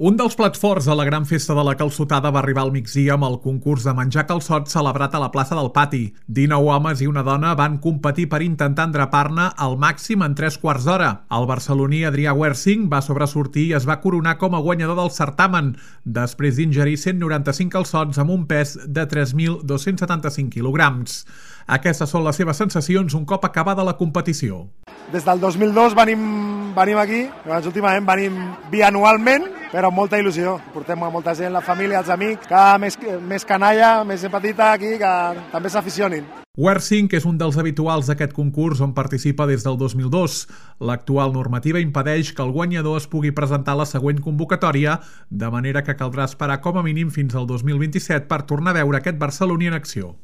Un dels plats forts de la gran festa de la calçotada va arribar al migdia amb el concurs de menjar calçot celebrat a la plaça del Pati. 19 homes i una dona van competir per intentar endrapar-ne al màxim en 3 quarts d'hora. El barceloní Adrià Wersing va sobresortir i es va coronar com a guanyador del certamen, després d'ingerir 195 calçots amb un pes de 3.275 quilograms. Aquestes són les seves sensacions un cop acabada la competició. Des del 2002 venim aquí, últimament venim bianualment, però amb molta il·lusió. Portem a molta gent, la família, els amics, cada més canalla, més petita aquí, que també s'aficionin. Wersing és un dels habituals d'aquest concurs on participa des del 2002. L'actual normativa impedeix que el guanyador es pugui presentar a la següent convocatòria, de manera que caldrà esperar com a mínim fins al 2027 per tornar a veure aquest barceloní en acció.